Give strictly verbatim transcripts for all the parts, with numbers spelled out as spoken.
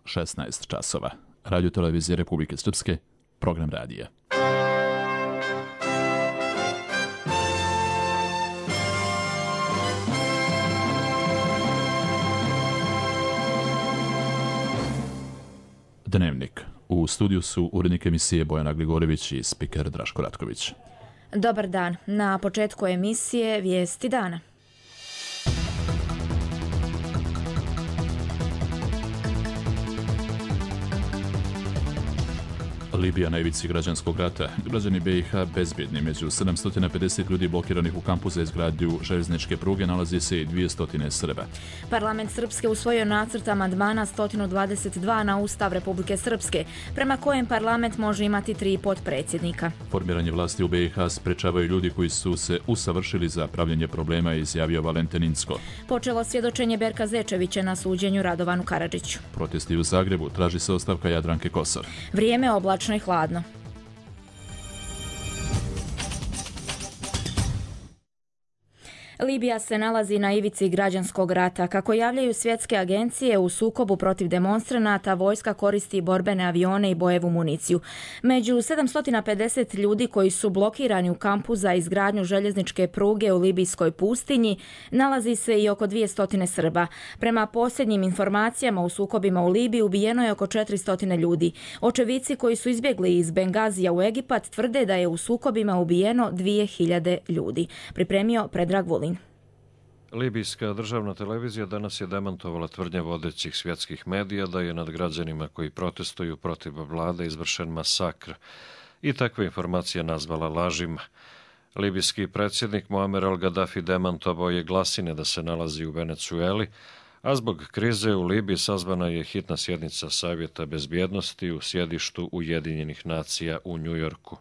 šesnaest časova. Radio televizije Republike Srpske, program radija. Dnevnik. U studiju su urednik emisije Bojana Gligorivić i spiker Draško Ratković. Dobar dan. Na početku emisije Vijesti dana. Libija na ivici građanskog rata. Građani B i H bezbjedni. Među sedamsto pedeset ljudi blokiranih u kampu za izgradnju željezničke pruge nalazi se i dvjesto Srba. Parlament Srpske usvojio nacrt amandmana sto dvadeset dva na Ustav Republike Srpske, prema kojem parlament može imati tri potpredsjednika. Formiranje vlasti u B i H sprečavaju ljudi koji su se usavršili za pravljenje problema, izjavio Valentin Incko. Počelo svjedočenje Berka Zečevića na suđenju Radovanu Karadžiću. Protesti u Zagrebu, traži se ostavka Jadranke Kosor. Vrijeme oblačno i hladno. Libija se nalazi na ivici građanskog rata. Kako javljaju svjetske agencije, u sukobu protiv demonstranata vojska koristi borbene avione i bojevu municiju. Među sedamsto pedeset ljudi koji su blokirani u kampu za izgradnju željezničke pruge u libijskoj pustinji nalazi se i oko dvjesto Srba. Prema posljednjim informacijama, u sukobima u Libiji ubijeno je oko četiristo ljudi. Očevici koji su izbjegli iz Bengazija u Egipat tvrde da je u sukobima ubijeno dvije hiljade ljudi. Pripremio Predrag Vulin. Libijska državna televizija danas je demantovala tvrdnje vodećih svjetskih medija da je nad građanima koji protestuju protiv vlade izvršen masakr i takve informacije nazvala lažima. Libijski predsjednik Muamer al-Gaddafi demantovao je glasine da se nalazi u Venecueli, a zbog krize u Libiji sazvana je hitna sjednica Savjeta bezbjednosti u sjedištu Ujedinjenih nacija u Njujorku.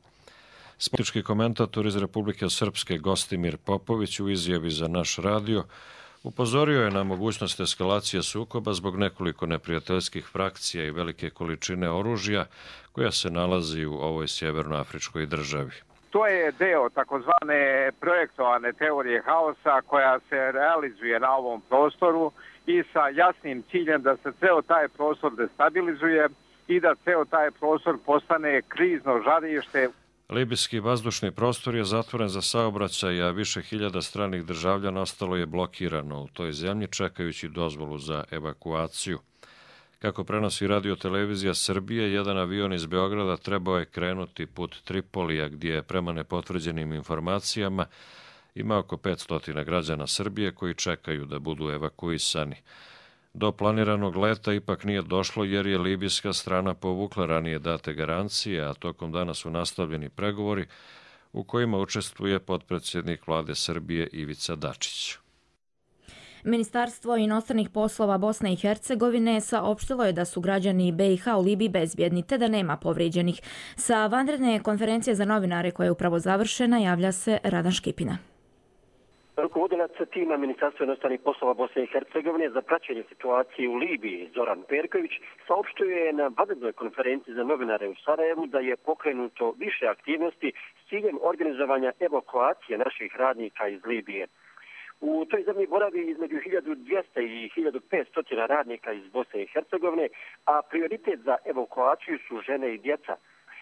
Politički komentator iz Republike Srpske Gostimir Popović u izjavi za naš radio upozorio je na mogućnost eskalacije sukoba zbog nekoliko neprijateljskih frakcija i velike količine oružja koja se nalazi u ovoj sjevernoafričkoj državi. To je deo takozvane projektovane teorije haosa koja se realizuje na ovom prostoru i sa jasnim ciljem da se ceo taj prostor destabilizuje i da ceo taj prostor postane krizno žarište. Libijski vazdušni prostor je zatvoren za saobraćaj, a više hiljada stranih državljana ostalo je blokirano u toj zemlji čekajući dozvolu za evakuaciju. Kako prenosi radio televizija Srbije, jedan avion iz Beograda trebao je krenuti put Tripolija, gdje je prema nepotvrđenim informacijama ima oko petsto građana Srbije koji čekaju da budu evakuisani. Do planiranog leta ipak nije došlo jer je libijska strana povukla ranije date garancije, a tokom dana su nastavljeni pregovori u kojima učestvuje potpredsjednik vlade Srbije Ivica Dačić. Ministarstvo inostranih poslova Bosne i Hercegovine saopštilo je da su građani B i H u Libiji bezbjedni te da nema povrijeđenih. Sa vanredne konferencije za novinare koja je upravo završena javlja se Radan Škipina. Rukovodilac tima Ministarstva inostranih poslova Bosne i Hercegovine za praćenje situacije u Libiji, Zoran Perković, saopštio je na vanrednoj konferenciji za novinare u Sarajevu da je pokrenuto više aktivnosti s ciljem organizovanja evakuacije naših radnika iz Libije. U toj zemlji boravi između hiljadu dvjesto i hiljadu petsto radnika iz Bosne i Hercegovine, a prioritet za evakuaciju su žene i djeca.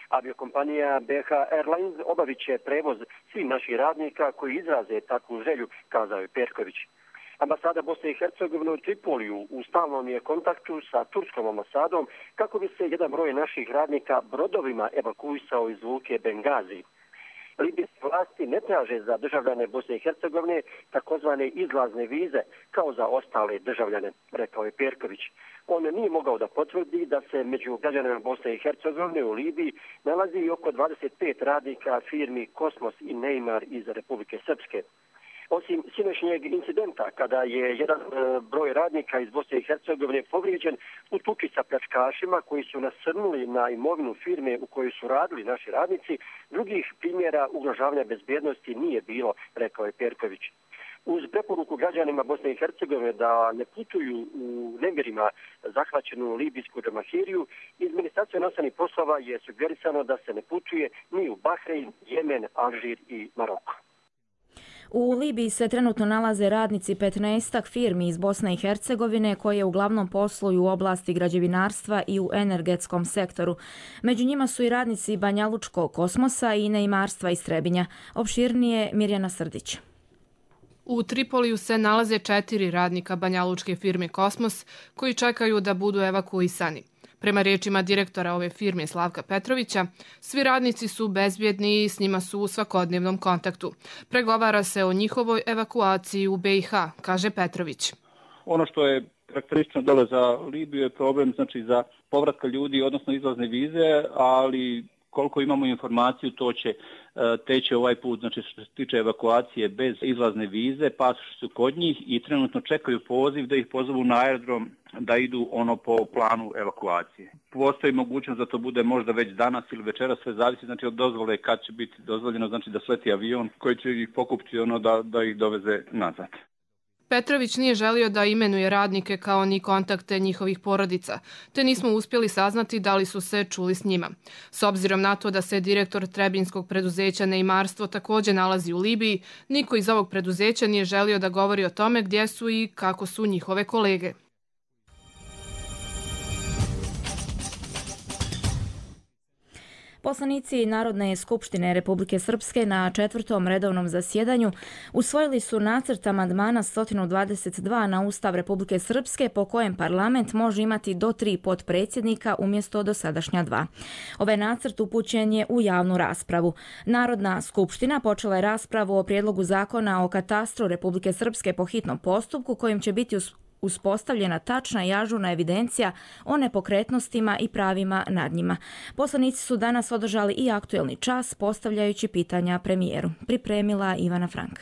Aviokompanija B H Airlines obavit će prevoz svih naših radnika koji izraze takvu želju, kazao je Perković. Ambasada Bosne i Hercegovine u Tripoliju u stalnom je kontaktu sa turskom ambasadom kako bi se jedan broj naših radnika brodovima evakuisao iz luke Bengazi. Libijske vlasti ne traže za državljane Bosne i Hercegovine takozvane izlazne vize kao za ostale državljane, rekao je Perković. On nije mogao da potvrdi da se među građanima Bosne i Hercegovine u Libiji nalazi oko dvadeset pet radnika firmi Kosmos i Neymar iz Republike Srpske. Osim sinoćnjeg incidenta, kada je jedan broj radnika iz Bosne i Hercegovine povrijeđen u tuči sa pljačkašima koji su nasrnuli na imovinu firme u kojoj su radili naši radnici, drugih primjera ugrožavanja bezbjednosti nije bilo, rekao je Perković. Uz preporuku građanima Bosne i Hercegovine da ne putuju u nemirima zahvaćenu libijsku džamahiriju, iz Ministarstva inostranih poslova je sugerisano da se ne putuje ni u Bahrein, Jemen, Alžir i Maroko. U Libiji se trenutno nalaze radnici petnaestak firmi iz Bosne i Hercegovine koje uglavnom posluju u oblasti građevinarstva i u energetskom sektoru. Među njima su i radnici Banjalučkog kosmosa i neimarstva iz Trebinja. Opširnije Mirjana Srdić. U Tripoliju se nalaze četiri radnika banjalučke firme Kosmos koji čekaju da budu evakuisani. Prema riječima direktora ove firme Slavka Petrovića, svi radnici su bezbjedni i s njima su u svakodnevnom kontaktu. Pregovara se o njihovoj evakuaciji u B i H, kaže Petrović. Ono što je karakteristično dole za Libiju je problem znači za povratka ljudi, odnosno izlazne vize, ali koliko imamo informaciju, to će teći ovaj put, znači što se tiče evakuacije bez izlazne vize, pasoši su kod njih i trenutno čekaju poziv da ih pozovu na aerodrom da idu ono po planu evakuacije. Postoji mogućnost da to bude možda već danas ili večeras, sve zavisi znači od dozvole kad će biti dozvoljeno, znači da sleti avion koji će ih pokupiti ono da, da ih doveze nazad. Petrović nije želio da imenuje radnike kao ni kontakte njihovih porodica, te nismo uspjeli saznati da li su se čuli s njima. S obzirom na to da se direktor trebinskog preduzeća Neimarstvo također nalazi u Libiji, niko iz ovog preduzeća nije želio da govori o tome gdje su i kako su njihove kolege. Poslanici Narodne skupštine Republike Srpske na četvrtom redovnom zasjedanju usvojili su nacrt amandmana sto dvadeset dva na Ustav Republike Srpske po kojem parlament može imati do tri potpredsjednika umjesto dosadašnja dva. Ovaj nacrt upućen je u javnu raspravu. Narodna skupština počela je raspravu o prijedlogu zakona o katastru Republike Srpske po hitnom postupku kojim će biti uspostavljena tačna i ažurna evidencija o nepokretnostima i pravima nad njima. Poslanici su danas održali i aktuelni čas postavljajući pitanja premijeru. Pripremila Ivana Frank.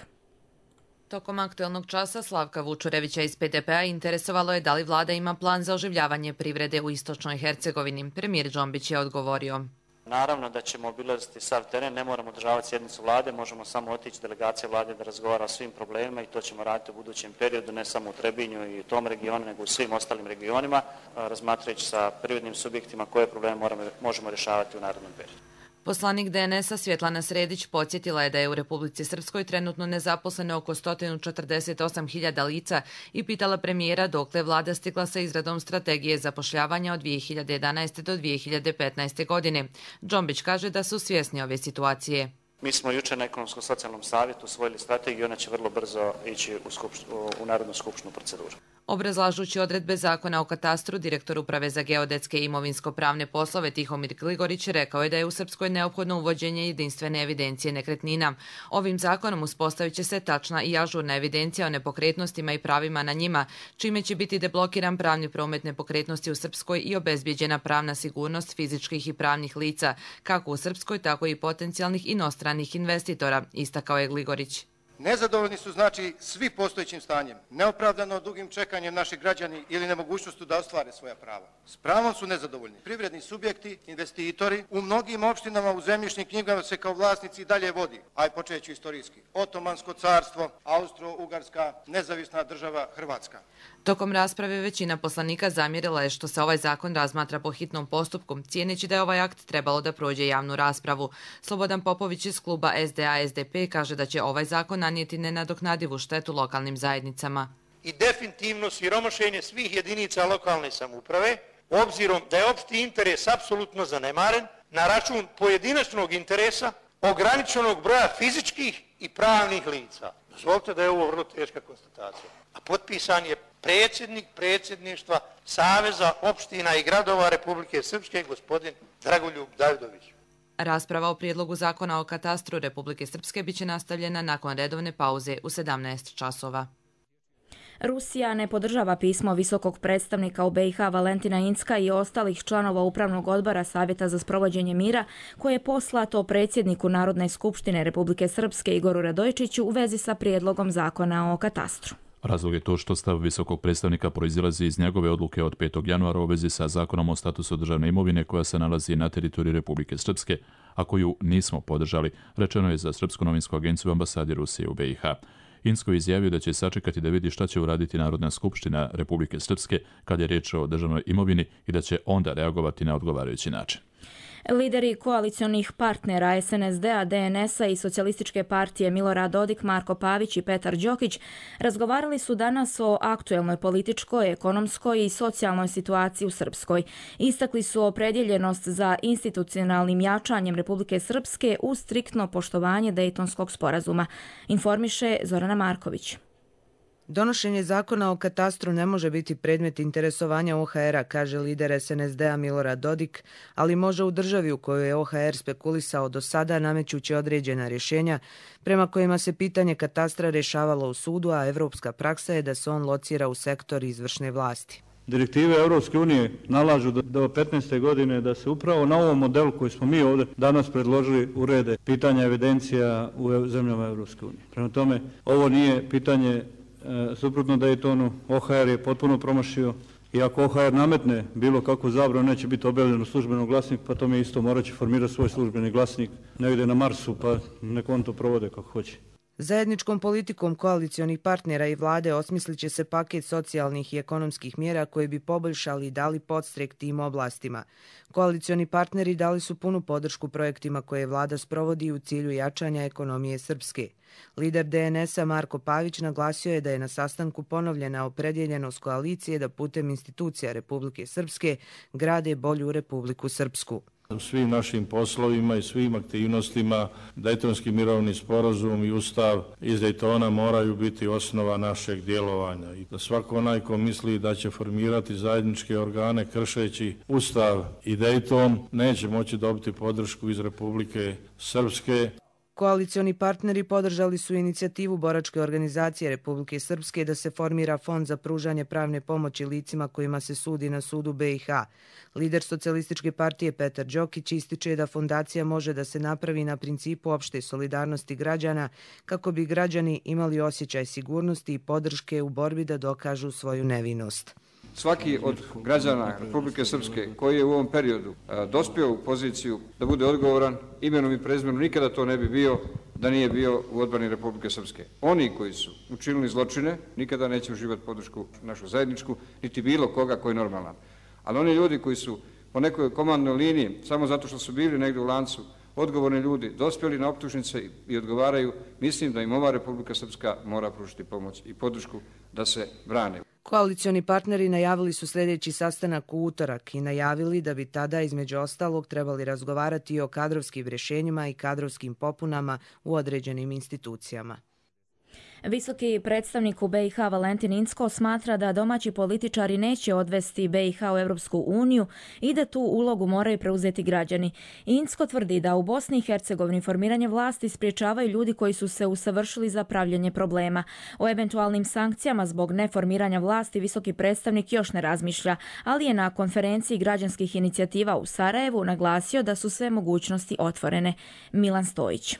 Tokom aktuelnog časa Slavka Vučurevića iz P D P-a interesovalo je da li vlada ima plan za oživljavanje privrede u istočnoj Hercegovini. Premijer Džombić je odgovorio. Naravno da ćemo obilaziti sav teren, ne moramo održavati sjednicu vlade, možemo samo otići delegacija vlade da razgovara o svim problemima i to ćemo raditi u budućem periodu, ne samo u Trebinju i u tom regionu, nego u svim ostalim regionima, razmatrajući sa privrednim subjektima koje probleme moramo, možemo rješavati u narednom periodu. Poslanik D N S-a Svjetlana Sredić podsjetila je da je u Republici Srpskoj trenutno nezaposleno oko sto četrdeset osam hiljada lica i pitala premijera dokle vlada stigla sa izradom strategije zapošljavanja od dvije hiljade jedanaeste. do dvije hiljade petnaeste. godine. Džombić kaže da su svjesni ove situacije. Mi smo jučer na Ekonomskom socijalnom savjetu usvojili strategiju i ona će vrlo brzo ići u, skupšt, u Narodnu skupštinu proceduru. Obrazlažući odredbe zakona o katastru, direktor Uprave za geodetske i imovinsko-pravne poslove Tihomir Gligorić rekao je da je u Srpskoj neophodno uvođenje jedinstvene evidencije nekretnina. Ovim zakonom uspostavit će se tačna i ažurna evidencija o nepokretnostima i pravima na njima, čime će biti deblokiran pravni promet nepokretnosti u Srpskoj i obezbijeđena pravna sigurnost fizičkih i pravnih lica, kako u Srpskoj, tako i potencijalnih inostranih investitora, istakao je Gligorić. Nezadovoljni su znači svi postojećim stanjem, neopravdano dugim čekanjem naših građani ili nemogućnostu da ostvare svoja prava. S pravom su nezadovoljni privredni subjekti, investitori. U mnogim opštinama u zemljišnim knjigama se kao vlasnici dalje vodi, aj počeću istorijski, Otomansko carstvo, Austro-Ugarska, nezavisna država Hrvatska. Tokom rasprave većina poslanika zamjerila je što se ovaj zakon razmatra po hitnom postupku, cijeneći da je ovaj akt trebalo da prođe javnu raspravu. Slobodan Popović iz kluba S D A S D P kaže da će ovaj zakon nanijeti nenadoknadivu štetu lokalnim zajednicama. I definitivno siromašenje svih jedinica lokalne samouprave, obzirom da je opšti interes apsolutno zanemaren, na račun pojedinačnog interesa, ograničenog broja fizičkih i pravnih lica. Dozvolite da je ovo vrlo teška konstatacija. A potpisan je predsjednik predsjedništva Saveza opština i gradova Republike Srpske, gospodin Dragoljub Davidović. Rasprava o prijedlogu zakona o katastru Republike Srpske biće nastavljena nakon redovne pauze u sedamnaest časova. Rusija ne podržava pismo visokog predstavnika u B i H Valentina Incka i ostalih članova Upravnog odbora Savjeta za sprovođenje mira koje je poslato predsjedniku Narodne skupštine Republike Srpske Igoru Radojčiću u vezi sa prijedlogom zakona o katastru. Razlog je to što stav visokog predstavnika proizilazi iz njegove odluke od petog januara u vezi sa zakonom o statusu državne imovine koja se nalazi na teritoriji Republike Srpske, a koju nismo podržali, rečeno je za Srpsku novinsku agenciju ambasadi Rusije u B i H. Insko je izjavio da će sačekati da vidi šta će uraditi Narodna skupština Republike Srpske kad je riječ o državnoj imovini i da će onda reagovati na odgovarajući način. Lideri koalicionih partnera S N S D-a, D N S-a i Socijalističke partije Milorad Dodik, Marko Pavić i Petar Đokić razgovarali su danas o aktuelnoj političkoj, ekonomskoj i socijalnoj situaciji u Srpskoj. Istakli su opredjeljenost za institucionalnim jačanjem Republike Srpske uz striktno poštovanje Dejtonskog sporazuma. Informiše Zorana Marković. Donošenje zakona o katastru ne može biti predmet interesovanja O H R-a, kaže lider S N S D-a Milorad Dodik, ali može u državi u kojoj je O H R spekulisao do sada namećući određena rješenja prema kojima se pitanje katastra rješavalo u sudu, a evropska praksa je da se on locira u sektor izvršne vlasti. Direktive Europske unije nalažu do petnaeste godine da se upravo na ovom modelu koji smo mi ovdje danas predložili urede pitanja evidencija u zemljama Europske unije. Prema tome, ovo nije pitanje suprotno Daytonu, O H R je potpuno promašio i ako O H R nametne bilo kakvu zabranu, neće biti objavljeno u službenom glasniku, pa to mi isto morat će formirati svoj službeni glasnik negdje na Marsu, pa nek on to provode kako hoće. Zajedničkom politikom koalicionih partnera i vlade osmislit će se paket socijalnih i ekonomskih mjera koje bi poboljšali i dali podstrek tim oblastima. Koalicioni partneri dali su punu podršku projektima koje vlada sprovodi u cilju jačanja ekonomije Srpske. Lider D N S-a Marko Pavić naglasio je da je na sastanku ponovljena opredjeljenost koalicije da putem institucija Republike Srpske grade bolju Republiku Srpsku. U svim našim poslovima i svim aktivnostima Dejtonski mirovni sporazum i ustav iz Dejtona moraju biti osnova našeg djelovanja. I da svako onaj ko misli da će formirati zajedničke organe kršeći ustav i Dejton neće moći dobiti podršku iz Republike Srpske. Koalicioni partneri podržali su inicijativu boračke organizacije Republike Srpske da se formira fond za pružanje pravne pomoći licima kojima se sudi na sudu B i H. Lider Socijalističke partije Petar Đokić ističe da fondacija može da se napravi na principu opšte solidarnosti građana kako bi građani imali osjećaj sigurnosti i podrške u borbi da dokažu svoju nevinost. Svaki od građana Republike Srpske koji je u ovom periodu dospio u poziciju da bude odgovoran imenom i prezimenom nikada to ne bi bio da nije bio u odbrani Republike Srpske. Oni koji su učinili zločine nikada neće uživati podršku našu zajedničku, niti bilo koga koji je normalan. Ali oni ljudi koji su po nekoj komandnoj liniji, samo zato što su bili negdje u lancu, odgovorni ljudi, dospjeli na optužnice i odgovaraju, mislim da im ova Republika Srpska mora pružiti pomoć i podršku da se brane. Koalicioni partneri najavili su sljedeći sastanak u utorak i najavili da bi tada između ostalog trebali razgovarati i o kadrovskim rješenjima i kadrovskim popunama u određenim institucijama. Visoki predstavnik u B i H Valentin Incko smatra da domaći političari neće odvesti B i H u Europsku uniju i da tu ulogu moraju preuzeti građani. Incko tvrdi da u Bosni i Hercegovini formiranje vlasti spriječavaju ljudi koji su se usavršili za pravljenje problema. O eventualnim sankcijama zbog neformiranja vlasti visoki predstavnik još ne razmišlja, ali je na konferenciji građanskih inicijativa u Sarajevu naglasio da su sve mogućnosti otvorene. Milan Stojić.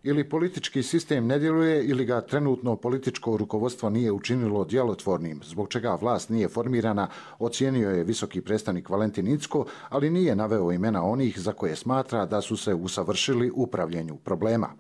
Ili politički sistem ne djeluje ili ga trenutno političko rukovodstvo nije učinilo djelotvornim, zbog čega vlast nije formirana, ocijenio je visoki predstavnik Valentin Incko, ali nije naveo imena onih za koje smatra da su se usavršili u upravljanju problema.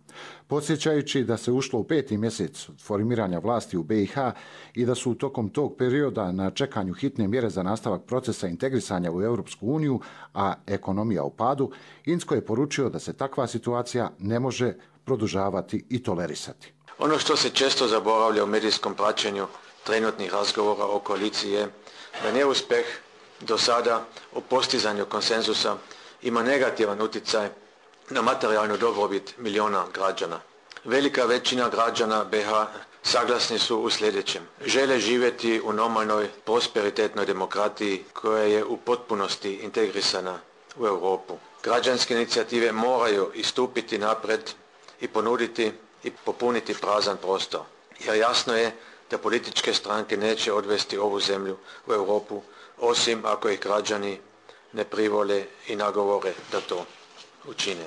Podsjećajući da se ušlo u peti mjesec formiranja vlasti u B i H i da su tokom tog perioda na čekanju hitne mjere za nastavak procesa integrisanja u Europsku uniju, a ekonomija u padu, Incko je poručio da se takva situacija ne može produžavati i tolerisati. Ono što se često zaboravlja u medijskom praćenju trenutnih razgovora o koaliciji je da neuspjeh do sada u postizanju konsenzusa ima negativan utjecaj na materijalnu dobrobit milijuna građana. Velika većina građana B i H saglasni su u sljedećem. Žele živjeti u normalnoj, prosperitetnoj demokratiji koja je u potpunosti integrisana u Europu. Građanske inicijative moraju istupiti napred i ponuditi i popuniti prazan prostor. Jer jasno je da političke stranke neće odvesti ovu zemlju u Europu, osim ako ih građani ne privole i nagovore da to učine.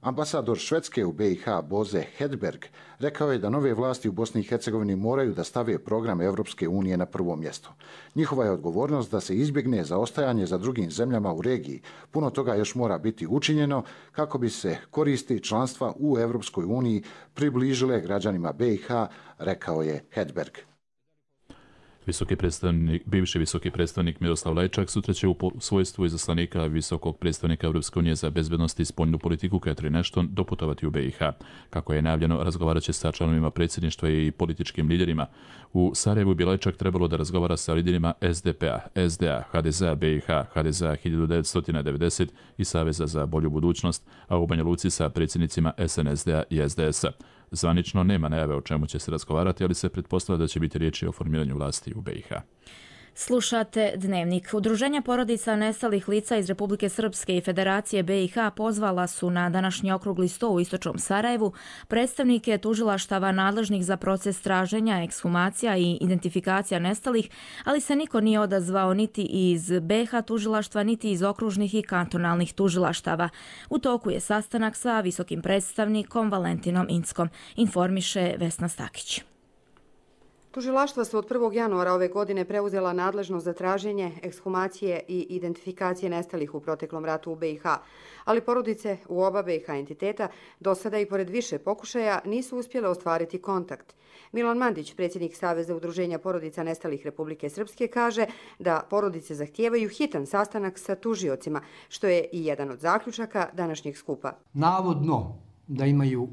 Ambasador Švedske u B i H Bože Hedberg rekao je da nove vlasti u Bosni i Hercegovini moraju da stave program Europske unije na prvo mjesto. Njihova je odgovornost da se izbjegne zaostajanje za drugim zemljama u regiji. Puno toga još mora biti učinjeno kako bi se koristi članstva u Europskoj uniji približile građanima B i H, rekao je Hedberg. Visoki predstavnik, bivši visoki predstavnik Miroslav Lajčak sutra će u svojstvu izaslanika visokog predstavnika Europske unije za bezbednost i spoljnu politiku Catherine Ashton doputovati u B i H. Kako je najavljeno, razgovarat će sa članovima predsjedništva i političkim liderima. U Sarajevu bi Lajčak trebalo da razgovara sa liderima S D P-a, S D A, H D Z-a B i H, H D Z-a hiljadu devetsto devedeset i Saveza za bolju budućnost, a u Banja Luci sa predsjednicima S N S D-a i S D S-a. Zvanično nema najave o čemu će se razgovarati, ali se pretpostavlja da će biti riječi o formiranju vlasti u B i H. Slušate Dnevnik. Udruženja porodica nestalih lica iz Republike Srpske i Federacije B i H pozvala su na današnji okrugli sto u istočnom Sarajevu predstavnike tužilaštava nadležnih za proces traženja, ekshumacija i identifikacija nestalih, ali se niko nije odazvao niti iz B i H tužilaštva, niti iz okružnih i kantonalnih tužilaštava. U toku je sastanak sa visokim predstavnikom Valentinom Inckom, informiše Vesna Stakić. Tužilaštva su od prvog januara ove godine preuzela nadležnost za traženje, ekshumacije i identifikacije nestalih u proteklom ratu u B i H, ali porodice u oba B i H entiteta do sada i pored više pokušaja nisu uspjele ostvariti kontakt. Milan Mandić, predsjednik Saveza udruženja porodica nestalih Republike Srpske, kaže da porodice zahtijevaju hitan sastanak sa tužiocima, što je i jedan od zaključaka današnjeg skupa. Navodno da imaju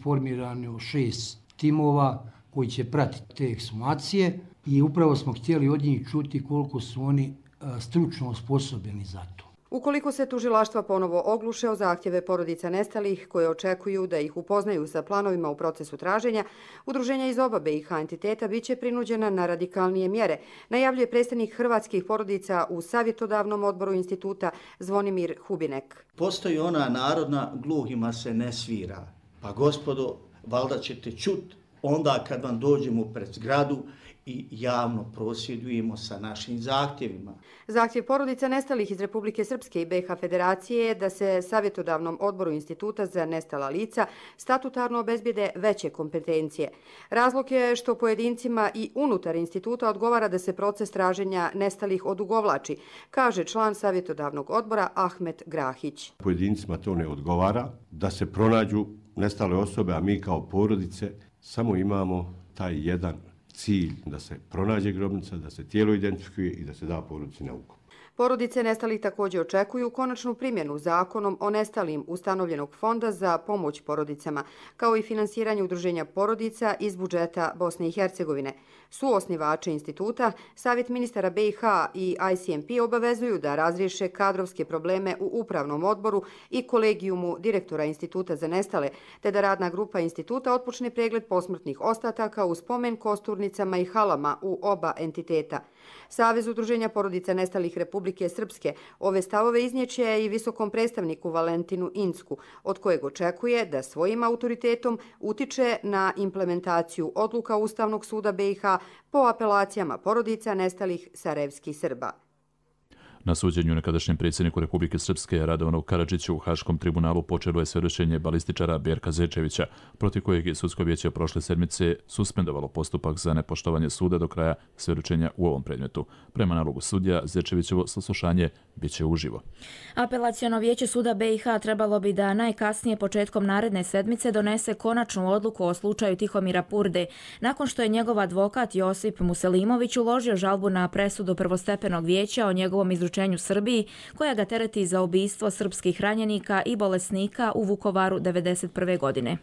formirano šest timova koji će pratiti te ekshumacije i upravo smo htjeli od njih čuti koliko su oni stručno osposobljeni za to. Ukoliko se tužilaštva ponovo ogluše o zahtjeve porodica nestalih koje očekuju da ih upoznaju sa planovima u procesu traženja, udruženja iz oba B i H entiteta biće prinuđena na radikalnije mjere, najavljuje predstavnik hrvatskih porodica u savjetodavnom odboru instituta Zvonimir Hubinek. Postoji ona narodna, gluhima se ne svira. Pa gospodo, valjda ćete čuti onda kad vam dođemo pred zgradu i javno prosvjedujemo sa našim zahtjevima. Zahtjev porodica nestalih iz Republike Srpske i B i H Federacije je da se savjetodavnom odboru Instituta za nestala lica statutarno obezbijede veće kompetencije. Razlog je što pojedincima i unutar instituta odgovara da se proces traženja nestalih odugovlači, kaže član savjetodavnog odbora Ahmet Grahić. Pojedincima to ne odgovara, da se pronađu nestale osobe, a mi kao porodice samo imamo taj jedan cilj da se pronađe grobnica, da se tijelo identifikuje i da se da porodici na ukop. Porodice nestalih također očekuju konačnu primjenu zakonom o nestalim ustanovljenog fonda za pomoć porodicama, kao i finansiranje udruženja porodica iz budžeta Bosne i Hercegovine. Suosnivači instituta, Savjet ministara B i H i I C M P obavezuju da razriješe kadrovske probleme u upravnom odboru i kolegijumu direktora Instituta za nestale, te da radna grupa instituta otpočne pregled posmrtnih ostataka u spomen kosturnicama i halama u oba entiteta. Savez udruženja porodica nestalih Republike Srpske ove stavove iznijeće i visokom predstavniku Valentinu Incku, od kojeg očekuje da svojim autoritetom utiče na implementaciju odluka Ustavnog suda B i H po apelacijama porodica nestalih sarajevskih Srba. Na suđenju nekadašnjem predsjedniku Republike Srpske Radovanu Karadžiću u Haškom tribunalu počelo je svjedočenje balističara Berka Zečevića, protiv kojeg je sudsko vijeće prošle sedmice suspendovalo postupak za nepoštovanje suda do kraja svjedočenja u ovom predmetu. Prema nalogu sudija, Zečevićevo saslušanje biće uživo. Apelaciono vijeće suda B i H trebalo bi da najkasnije početkom naredne sedmice donese konačnu odluku o slučaju Tihomira Purde, nakon što je njegov advokat Josip Muselimović uložio žalbu na presudu prvostepenog vijeća o njegovom izručenju Srbiji, koja ga tereti za ubistvo srpskih ranjenika i bolesnika u Vukovaru devedeset prve godine.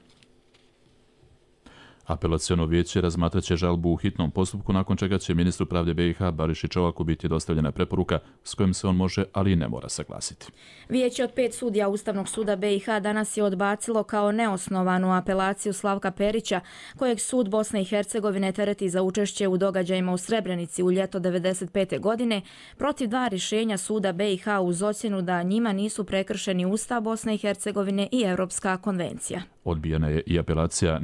Apelaciono vijeće razmatraće žalbu u hitnom postupku, nakon čega će ministru pravde B i H Bariši Čovaku biti dostavljena preporuka s kojom se on može, ali i ne mora saglasiti. Vijeće od pet sudija Ustavnog suda B i H danas je odbacilo kao neosnovanu apelaciju Slavka Perića, kojeg sud Bosne i Hercegovine tereti za učešće u događajima u Srebrenici u ljeto devedeset pete godine, protiv dva rješenja suda B i H uz ocjenu da njima nisu prekršeni Ustav Bosne i Hercegovine i Europska konvencija. Odbijena je i apelacija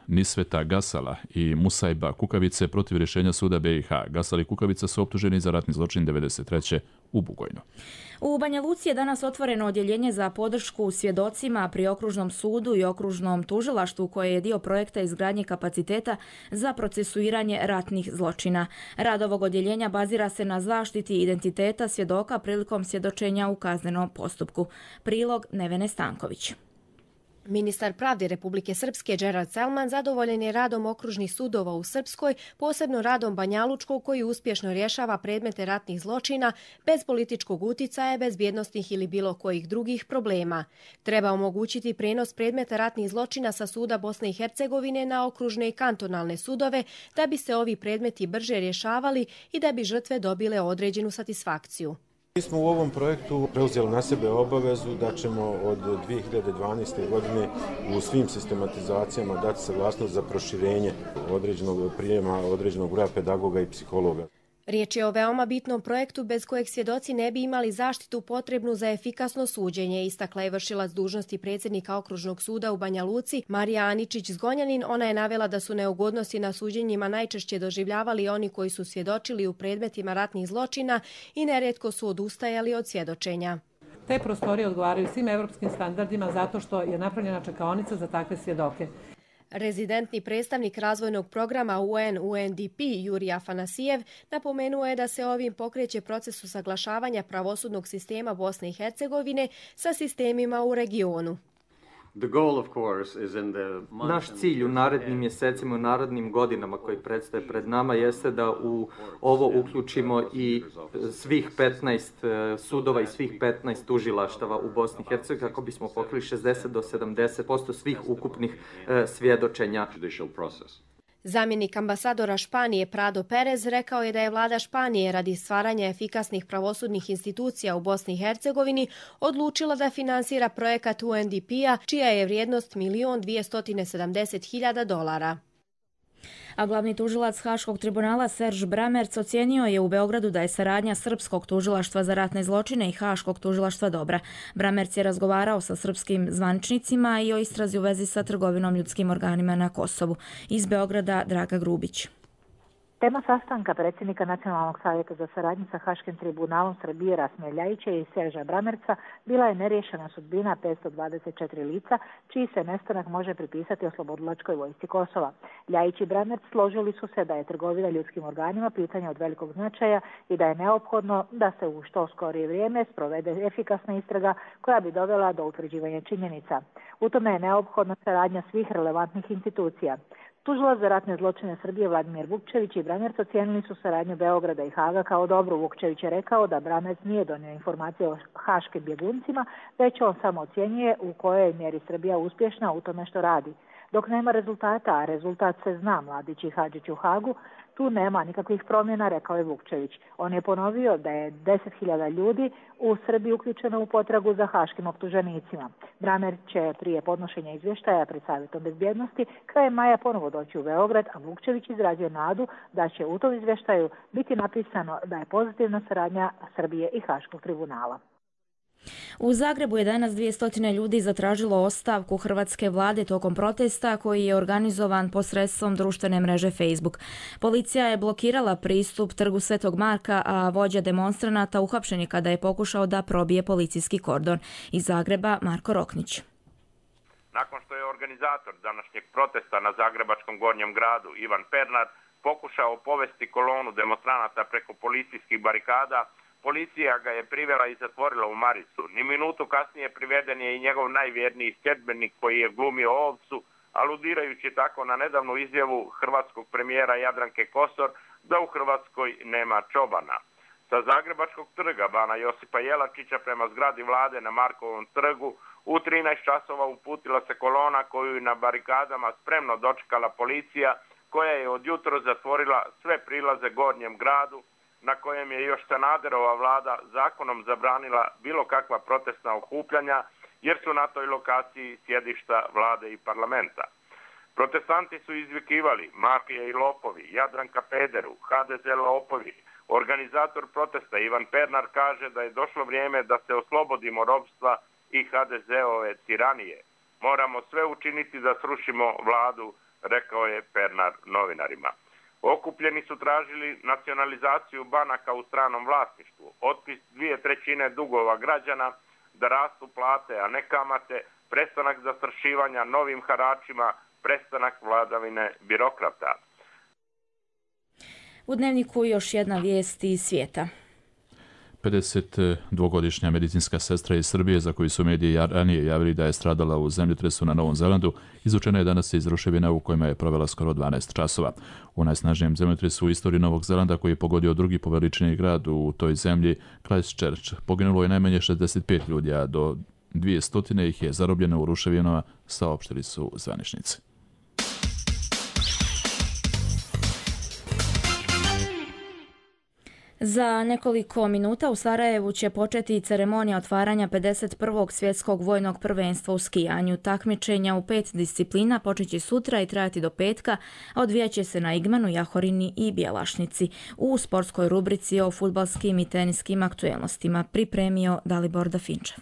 Nisveta Gasala i Musajba Kukavice protiv rješenja suda B i H. Gasal i Kukavica su optuženi za ratni zločin devedeset treće u Bugojnu. U Banja Luci je danas otvoreno odjeljenje za podršku svjedocima pri okružnom sudu i okružnom tužilaštvu koje je dio projekta izgradnje kapaciteta za procesuiranje ratnih zločina. Rad ovog odjeljenja bazira se na zaštiti identiteta svjedoka prilikom svjedočenja u kaznenom postupku. Prilog Nevene Stanković. Ministar pravde Republike Srpske Gerard Selman zadovoljan je radom okružnih sudova u Srpskoj, posebno radom Banjalučkog koji uspješno rješava predmete ratnih zločina bez političkog uticaja, bezbjednostnih ili bilo kojih drugih problema. Treba omogućiti prenos predmeta ratnih zločina sa suda Bosne i Hercegovine na okružne i kantonalne sudove da bi se ovi predmeti brže rješavali i da bi žrtve dobile određenu satisfakciju. Mi smo u ovom projektu preuzeli na sebe obavezu da ćemo od dvije hiljade dvanaeste. godine u svim sistematizacijama dati saglasnost za proširenje određenog prijema, određenog broja pedagoga i psihologa. Riječ je o veoma bitnom projektu bez kojeg svjedoci ne bi imali zaštitu potrebnu za efikasno suđenje, istakla je vršilac dužnosti predsjednika Okružnog suda u Banja Luci Marija Aničić-Zgonjanin. Ona je navela da su neugodnosti na suđenjima najčešće doživljavali oni koji su svjedočili u predmetima ratnih zločina i nerijetko su odustajali od svjedočenja. Te prostorije odgovaraju svim evropskim standardima zato što je napravljena čekaonica za takve svjedoke. Rezidentni predstavnik razvojnog programa U N U N D P Jurij Afanasijev napomenuo je da se ovim pokreće proces usaglašavanja pravosudnog sistema Bosne i Hercegovine sa sistemima u regionu. Naš cilj u narednim mjesecima, u narednim godinama koji predstoje pred nama jeste da u ovo uključimo i svih petnaest sudova i svih petnaest tužilaštava u Bosni i Hercegovini kako bismo pokrili šezdeset do sedamdeset posto svih ukupnih svjedočenja. Zamjenik ambasadora Španije Prado Perez rekao je da je vlada Španije radi stvaranja efikasnih pravosudnih institucija u Bosni i Hercegovini odlučila da finansira projekat U N D P-a čija je vrijednost milion dvjesto sedamdeset hiljada dolara. A glavni tužilac Haškog tribunala Serž Bramerc ocijenio je u Beogradu da je saradnja Srpskog tužilaštva za ratne zločine i Haškog tužilaštva dobra. Bramerc je razgovarao sa srpskim zvaničnicima i o istrazi u vezi sa trgovinom ljudskim organima na Kosovu. Iz Beograda Draga Grubić. Tema sastanka predsjednika Nacionalnog savjeta za saradnju sa Haškim tribunalom Srbije Rasima Ljajića i Serža Bramerca bila je neriješena sudbina petsto dvadeset četiri lica, čiji se nestanak može pripisati oslobodilačkoj vojsci Kosova. Ljajić i Bramerc složili su se da je trgovina ljudskim organima pitanje od velikog značaja i da je neophodno da se u što skorije vrijeme sprovede efikasna istraga koja bi dovela do utvrđivanja činjenica. U tome je neophodna saradnja svih relevantnih institucija. Tužilac za ratne zločine Srbije Vladimir Vukčević i Bramerc ocijenili su saradnju Beograda i Haga kao dobru. Vukčević je rekao da Bramerc nije donio informacije o haškim bjeguncima, već on samo ocjenjuje u kojoj mjeri Srbija uspješna u tome što radi. Dok nema rezultata, a rezultat se zna, Mladić i Hadžić u Hagu, tu nema nikakvih promjena, rekao je Vukčević. On je ponovio da je deset hiljada ljudi u Srbiji uključeno u potragu za haškim optuženicima. Bramerc će prije podnošenja izvještaja pred Savjetom bezbjednosti krajem maja ponovo doći u Beograd, a Vukčević izrazio nadu da će u tom izvještaju biti napisano da je pozitivna saradnja Srbije i Haškog tribunala. U Zagrebu je danas dvjesto ljudi zatražilo ostavku hrvatske vlade tokom protesta koji je organizovan posredstvom društvene mreže Facebook. Policija je blokirala pristup trgu Svetog Marka, a vođa demonstranata uhapšen je kada je pokušao da probije policijski kordon. Iz Zagreba Marko Roknić. Nakon što je organizator današnjeg protesta na zagrebačkom Gornjem gradu Ivan Pernar pokušao povesti kolonu demonstranata preko policijskih barikada, policija ga je privela i zatvorila u Maricu. Ni minutu kasnije priveden je i njegov najvjerniji sljedbenik koji je glumio ovcu, aludirajući tako na nedavnu izjavu hrvatskog premijera Jadranke Kosor da u Hrvatskoj nema čobana. Sa Zagrebačkog trga Bana Josipa Jelačića prema zgradi vlade na Markovom trgu u trinaest časova uputila se kolona koju je na barikadama spremno dočekala policija, koja je od jutro zatvorila sve prilaze Gornjem gradu, na kojem je još Sanaderova vlada zakonom zabranila bilo kakva protestna okupljanja, jer su na toj lokaciji sjedišta vlade i parlamenta. Protestanti su izvikivali mafije i lopovi, Jadranka pederu, H D Z lopovi. Organizator protesta Ivan Pernar kaže da je došlo vrijeme da se oslobodimo ropstva i H D Z-ove tiranije. Moramo sve učiniti da srušimo vladu, rekao je Pernar novinarima. Okupljeni su tražili nacionalizaciju banaka u stranom vlasništvu, otpis dvije trećine dugova građana, da rastu plate, a ne kamate, prestanak zastrašivanja novim haračima, prestanak vladavine birokrata. U Dnevniku još jedna vijest iz svijeta. pedesetdvogodišnja medicinska sestra iz Srbije, za koju su mediji ranije javili da je stradala u zemljotresu na Novom Zelandu, izvučena je danas iz ruševina u kojima je provela skoro dvanaest časova. U najsnažnijem zemljotresu u istoriji Novog Zelanda, koji je pogodio drugi po veličini grad u toj zemlji, Christchurch, poginulo je najmanje šezdeset pet ljudi, a do dvjesto ih je zarobljeno u ruševinama, saopštili su zvaničnici. Za nekoliko minuta u Sarajevu će početi ceremonija otvaranja pedeset prvog svjetskog vojnog prvenstva u skijanju. Takmičenja u pet disciplina počeće sutra i trajati do petka, a odvijaće se na Igmanu, Jahorini i Bjelašnici. U sportskoj rubrici o fudbalskim i teniskim aktuelnostima pripremio Dalibor Dafinčev.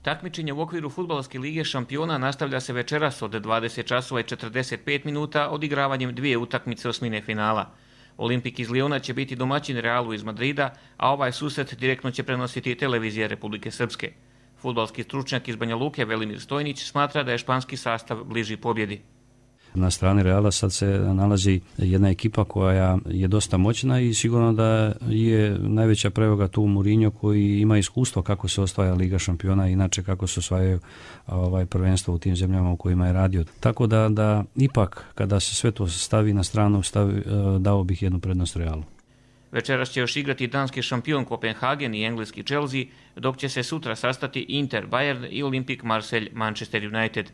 Takmičenje u okviru Fudbalske lige šampiona nastavlja se večeras od dvadeset časova i četrdeset pet minuta odigravanjem dvije utakmice osmine finala. Olimpik iz Liona će biti domaćin Realu iz Madrida, a ovaj susret direktno će prenositi televizija Republike Srpske. Fudbalski stručnjak iz Banja Luke Velimir Stojnić smatra da je španski sastav bliži pobjedi. Na strani Reala sad se nalazi jedna ekipa koja je dosta moćna i sigurno da je najveća prevaga tu Mourinho, koji ima iskustvo kako se osvaja Liga šampiona, inače kako se osvajaju ovaj prvenstvo u tim zemljama u kojima je radio. Tako da, da ipak kada se sve to stavi na stranu, stavi, dao bih jednu prednost Realu. Večeras će još igrati danski šampion Kopenhagen i engleski Chelsea, dok će se sutra sastati Inter Bayern i Olimpik Marseille Manchester United.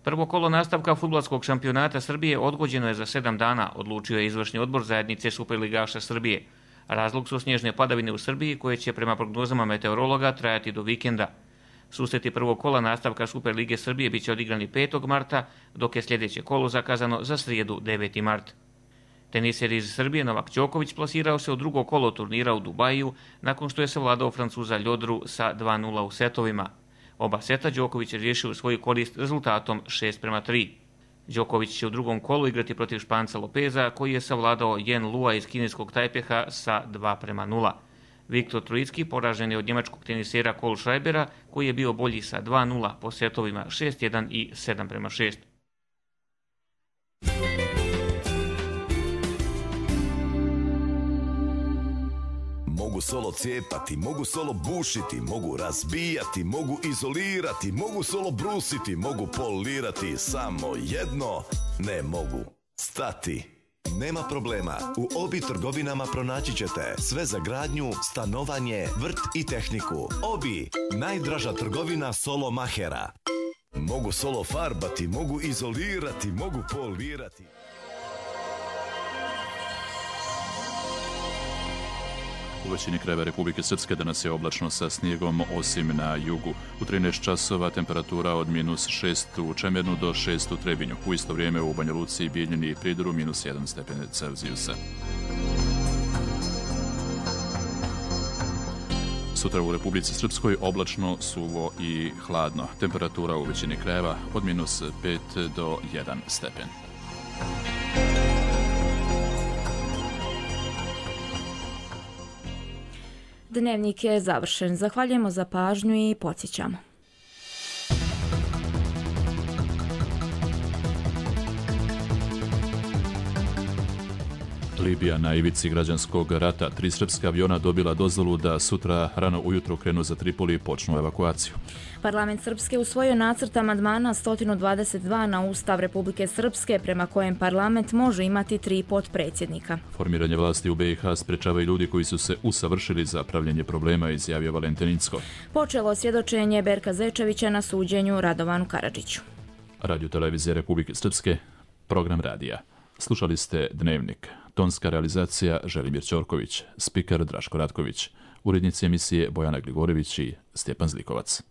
Prvo kolo nastavka fudbalskog šampionata Srbije odgođeno je za sedam dana, odlučio je izvršni odbor zajednice Superligaša Srbije. Razlog su snježne padavine u Srbiji, koje će prema prognozama meteorologa trajati do vikenda. Susreti prvog kola nastavka Superlige Srbije bit će odigrani petog marta, dok je sljedeće kolo zakazano za srijedu deveti mart. Teniser iz Srbije Novak Đoković plasirao se u drugo kolo turnira u Dubaju, nakon što je savladao Francuza Ljodru sa dva nula u setovima. Oba seta Đoković je riješio u svoju korist rezultatom šest prema tri. Đoković će u drugom kolu igrati protiv Španca Lopeza, koji je savladao Yen Lua iz kineskog Tajpeha sa dva prema nula. Viktor Trojicki poražen je od njemačkog tenisera Kohl Schreibera, koji je bio bolji sa dva nula po setovima šest jedan i sedam prema šest. Mogu solo cijepati, mogu solo bušiti, mogu razbijati, mogu izolirati, mogu solo brusiti, mogu polirati, samo jedno ne mogu stati. Nema problema, u Obi trgovinama pronaći ćete sve za gradnju, stanovanje, vrt i tehniku. Obi, najdraža trgovina solo mahera. Mogu solo farbati, mogu izolirati, mogu polirati. U većini krajeva Republike Srpske danas je oblačno sa snijegom, osim na jugu. U trinaest časova temperatura od minus šest u Čemernu do šest u Trebinju. U isto vrijeme u Banja Luci, Bijeljini i Pridoru minus jedan stepen Celzijusa. Sutra u Republici Srpskoj oblačno, suvo i hladno. Temperatura u većini krajeva od minus pet do jedan stepen. Dnevnik je završen. Zahvaljujemo za pažnju i podsjećamo. Libija na ivici građanskog rata. Tri srpska aviona dobila dozvolu da sutra rano ujutro krenu za Tripoli i počnu evakuaciju. Parlament Srpske usvojio nacrt amandmana sto dvadeset dva na Ustav Republike Srpske, prema kojem parlament može imati tri potpredsjednika. Formiranje vlasti u be i ha sprečavaju ljudi koji su se usavršili za pravljenje problema, izjavio Valentin Incko. Počelo svjedočenje Berka Zečevića na suđenju Radovanu Karadžiću. Radio televizije Republike Srpske, program radija. Slušali ste Dnevnik. Tonska realizacija Želimir Ćorković, spiker Draško Ratković, urednici emisije Bojana Gligorević i Stjepan Zlikovac.